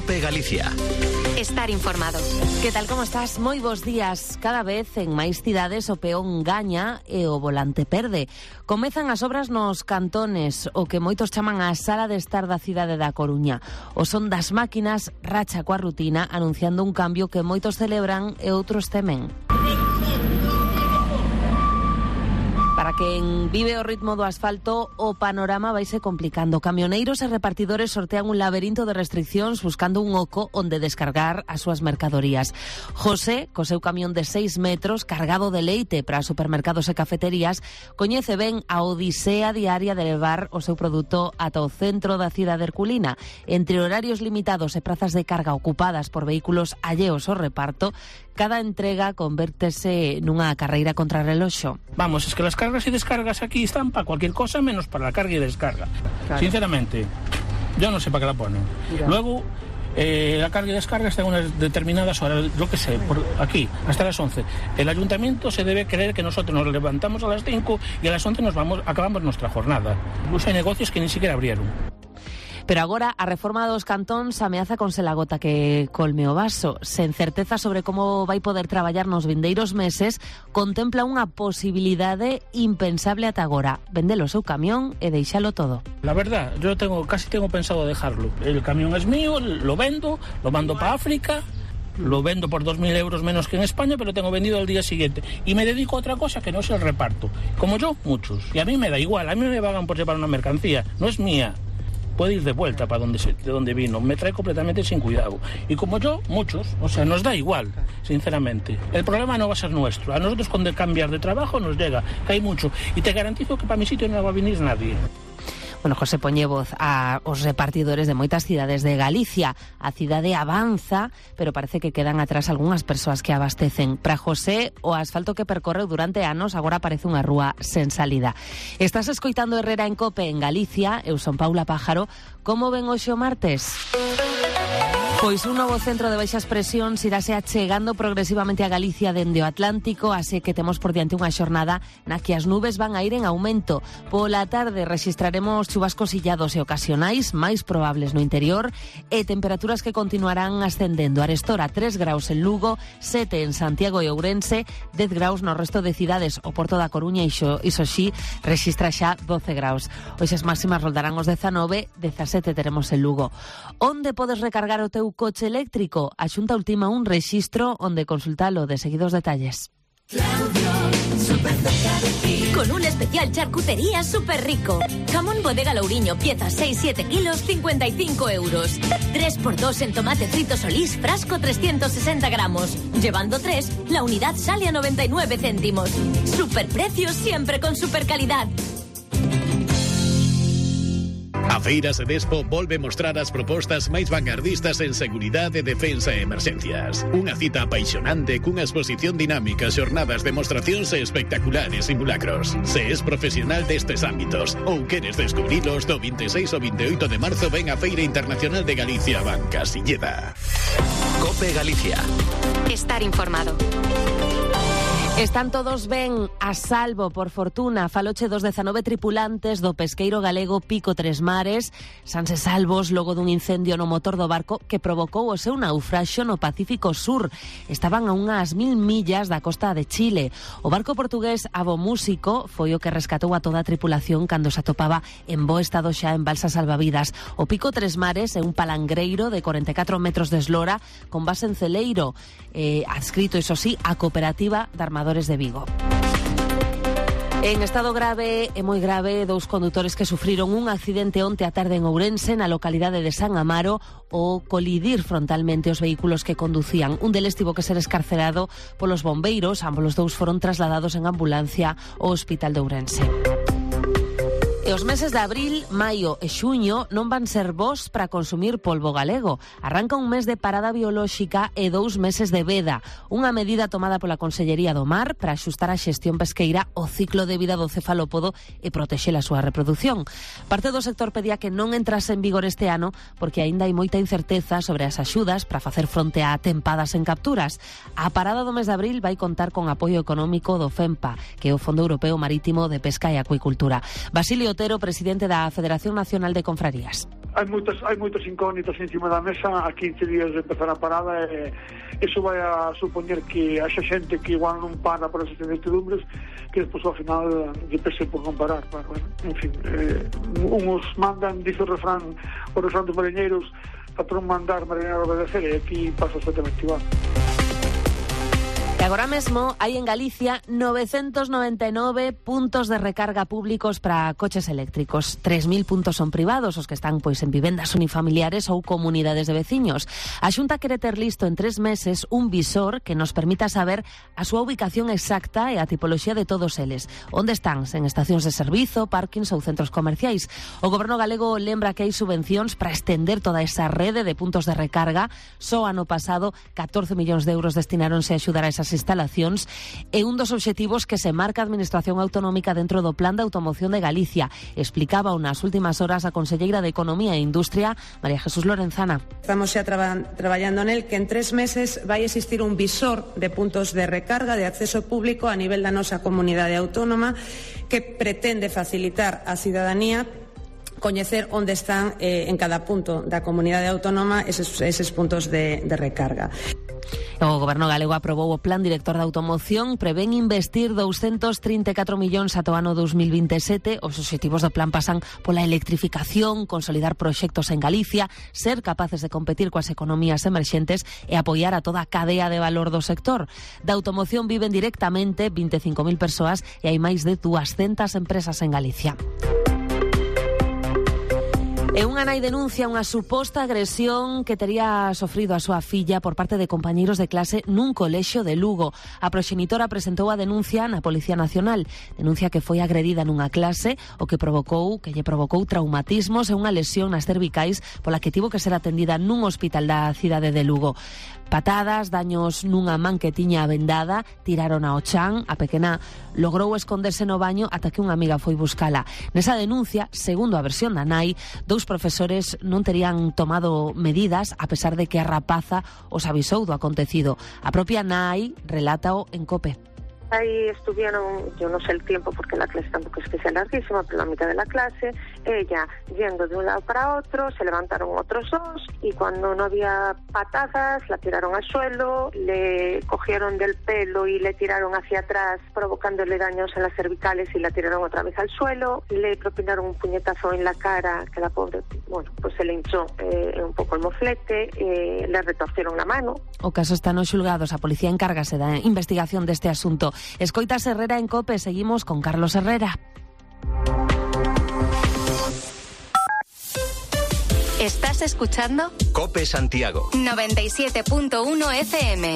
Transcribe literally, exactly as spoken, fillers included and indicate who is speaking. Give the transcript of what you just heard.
Speaker 1: COPE Galicia.
Speaker 2: Estar informado.
Speaker 3: Que tal, como estás? Moi bons días. Cada vez en máis cidades o peón gaña e o volante perde. Comezan as obras nos cantones, o que moitos chaman a sala de estar da cidade da Coruña. O son das máquinas racha coa rutina, anunciando un cambio que moitos celebran e outros temen. Para quen vive o ritmo do asfalto, o panorama vaise complicando. Camioneiros e repartidores sortean un laberinto de restriccións buscando un oco onde descargar as súas mercadorías. José, co seu camión de seis metros, cargado de leite para supermercados e cafeterías, coñece ben a odisea diaria de levar o seu produto ata o centro da cidade herculina. Entre horarios limitados e prazas de carga ocupadas por vehículos alleos ao reparto, cada entrega convértese nunha carreira contra reloxo.
Speaker 4: Vamos, es que las cargas y descargas aquí están para cualquier cosa menos para la carga y descarga. Claro. Sinceramente, yo no sé para qué la ponen. Mira. Luego, eh, la carga y descarga está en unas determinadas horas, yo qué sé, por aquí, hasta las once. El ayuntamiento se debe creer que nosotros nos levantamos a las cinco y a las once nos vamos, acabamos nuestra jornada. Incluso hay negocios que ni siquiera abrieron.
Speaker 3: Pero agora a reforma dos cantóns ameaza con ser a gota que colme o vaso. Sen certeza sobre como vai poder traballar nos vindeiros meses, contempla unha posibilidade impensable ata agora: vender o seu camión e deixalo todo.
Speaker 4: La verdad, yo tengo casi tengo pensado dejarlo. El camión es mío, lo vendo, lo mando para África. Lo vendo por dos mil euros menos que en España, pero tengo vendido al día siguiente. Y me dedico a otra cosa que no es el reparto. Como yo, muchos. Y a mí me da igual, a mí me pagan por llevar una mercancía, no es mía. Puede ir de vuelta para donde se, de donde vino. Me trae completamente sin cuidado. Y como yo, muchos. O sea, nos da igual, sinceramente. El problema no va a ser nuestro. A nosotros cuando cambiar de trabajo nos llega, que hay mucho. Y te garantizo que para mi sitio no va a venir nadie.
Speaker 3: Bueno, José poñe voz a os repartidores de moitas cidades de Galicia. A cidade avanza, pero parece que quedan atrás algunhas persoas que abastecen. Para José, o asfalto que percorreu durante anos agora parece unha rúa sen salida. Estás escoitando Herrera en COPE en Galicia. Eu son Paula Pájaro. Como ven hoxe o martes? Pois un novo centro de baixas presións irase achegando progresivamente a Galicia dende o Atlántico, así que temos por diante unha xornada na que as nubes van a ir en aumento. Pola tarde rexistraremos chuvascos illados e ocasionais, máis probables no interior, e temperaturas que continuarán ascendendo. Arestora tres graus en Lugo, sete en Santiago e Ourense, dez graus no resto de cidades. O Porto da Coruña e Xoxí rexistra xa doce graus. Hoxe as máximas roldarán os dezanove, dezasete teremos en Lugo. Onde podes recargar o teu coche eléctrico? A Xunta ultima un rexistro onde consultalo. De seguidos detalles.
Speaker 5: Claudio, super cerca de ti. Con un especial charcutería súper rico. Jamón Bodega Louriño, pieza seis siete kilos, cincuenta y cinco euros. tres por dos en tomate frito Solís, frasco trescientos sesenta gramos. Llevando tres, la unidad sale a noventa y nueve céntimos. Super precios siempre con super calidad.
Speaker 1: A Feira Sedespo volve mostrar as propostas máis vanguardistas en seguridade, defensa e emerxencias. Unha cita apaixonante cunha exposición dinámica, xornadas, demostracións e espectaculares simulacros. Se es profesional destes ámbitos ou queres descubrilos, do vinte e seis ao vinte e oito de marzo ven a Feira Internacional de Galicia Banca Silleda. COPE Galicia.
Speaker 2: Estar informado.
Speaker 3: Están todos ben, a salvo, por fortuna. Faloche dos dezanove tripulantes do pesqueiro galego Pico Tres Mares, sanse salvos logo dun incendio no motor do barco que provocou o seu naufraxio no Pacífico Sur. Estaban a unhas mil millas da costa de Chile. O barco portugués Avo Músico foi o que rescatou a toda a tripulación cando se atopaba en bo estado xa en balsas salvavidas. O Pico Tres Mares é un palangreiro de corenta e catro metros de eslora con base en Celeiro, eh, adscrito, iso sí, a Cooperativa de Armadores de Vigo. En estado grave e moi grave, dous condutores que sufriron un accidente onte á tarde en Ourense, na localidade de San Amaro, ao colidir frontalmente os vehículos que conducían. Un deles tivo que ser escarcerado polos bombeiros. Ambos os dous foron trasladados en ambulancia ao Hospital de Ourense. E os meses de abril, maio e xuño non van ser bons para consumir polvo galego. Arranca un mes de parada biolóxica e dous meses de veda. Unha medida tomada pola Consellería do Mar para axustar a xestión pesqueira ao ciclo de vida do cefalópodo e protexer a súa reproducción. Parte do sector pedía que non entrase en vigor este ano porque aínda hai moita incerteza sobre as axudas para facer fronte a tempadas en capturas. A parada do mes de abril vai contar con apoio económico do FEMPA, que é o Fondo Europeo Marítimo de Pesca e Acuicultura. Basilio Otero, presidente da Federación Nacional de Confrarías.
Speaker 6: hai moitas hai moitas incógnitas encima da mesa. A quince días de empezar a parada, e iso vai a supoñer que haxa xente que igual non para por esas incertidumbres, que despois ao final lle pese por non parar. Bueno, en fin, eh, uns mandan, dice o refrán, o refrán dos mariñeiros, patrón mandar, mariñeiro obedecer, e aquí pasa exactamente igual.
Speaker 3: E agora mesmo hai en Galicia novecentos noventa e nove puntos de recarga públicos para coches eléctricos. tres mil puntos son privados, os que están pois en vivendas unifamiliares ou comunidades de veciños. A Xunta quere ter listo en tres meses un visor que nos permita saber a súa ubicación exacta e a tipoloxía de todos eles. Onde están? En estacións de servizo, parkings ou centros comerciais. O Goberno galego lembra que hai subvencións para estender toda esa rede de puntos de recarga. Só ano pasado catorce millóns de euros destinaronse a axudar a esas instalacións, e un dos obxectivos que se marca a Administración Autonómica dentro do Plan de Automoción de Galicia. Explicaba nas últimas horas a conselleira de Economía e Industria, María Jesús Lorenzana.
Speaker 7: Estamos xa traba, traballando nel, que en tres meses vai existir un visor de puntos de recarga de acceso público a nivel da nosa comunidade autónoma, que pretende facilitar á cidadanía coñecer onde están eh, en cada punto da comunidade autónoma eses, eses puntos de, de recarga.
Speaker 3: O Goberno galego aprobou o Plan Director de Automoción, prevén investir douscentos trinta e catro millóns ata o ano dos mil vinte e sete. Os obxectivos do plan pasan pola electrificación, consolidar proxectos en Galicia, ser capaces de competir coas economías emerxentes e apoiar a toda a cadea de valor do sector. Da automoción viven directamente vinte e cinco mil persoas e hai máis de duascentas empresas en Galicia. E unha nai denuncia unha suposta agresión que tería sofrido a súa filla por parte de compañeiros de clase nun colexio de Lugo. A proxenitora presentou a denuncia na Policía Nacional. Denuncia que foi agredida nunha clase, o que provocou que lle provocou traumatismos e unha lesión nas cervicais, pola que tivo que ser atendida nun hospital da cidade de Lugo. Patadas, daños nunha man que tiña vendada, tiraron ao chan. A pequena logrou esconderse no baño ata que unha amiga foi buscala. Nesa denuncia, segundo a versión da nai, dous profesores non terían tomado medidas a pesar de que a rapaza os avisou do acontecido. A propia nai relátao en COPE.
Speaker 8: Ahí estuvieron, yo no sé el tiempo porque la clase tampoco es que sea larguísima, pero la mitad de la clase, ella yendo de un lado para otro, se levantaron otros dos y cuando no había patadas la tiraron al suelo, le cogieron del pelo y le tiraron hacia atrás provocándole daños en las cervicales y la tiraron otra vez al suelo, le propinaron un puñetazo en la cara que la pobre, bueno, pues se le hinchó eh, un poco el moflete, eh, le retorcieron la mano.
Speaker 3: O caso está nos xulgados, a policía encárgase da investigación deste asunto. Escoitas Herrera en COPE, seguimos con Carlos Herrera.
Speaker 2: ¿Estás escuchando?
Speaker 9: COPE Santiago
Speaker 2: noventa y siete punto uno F M.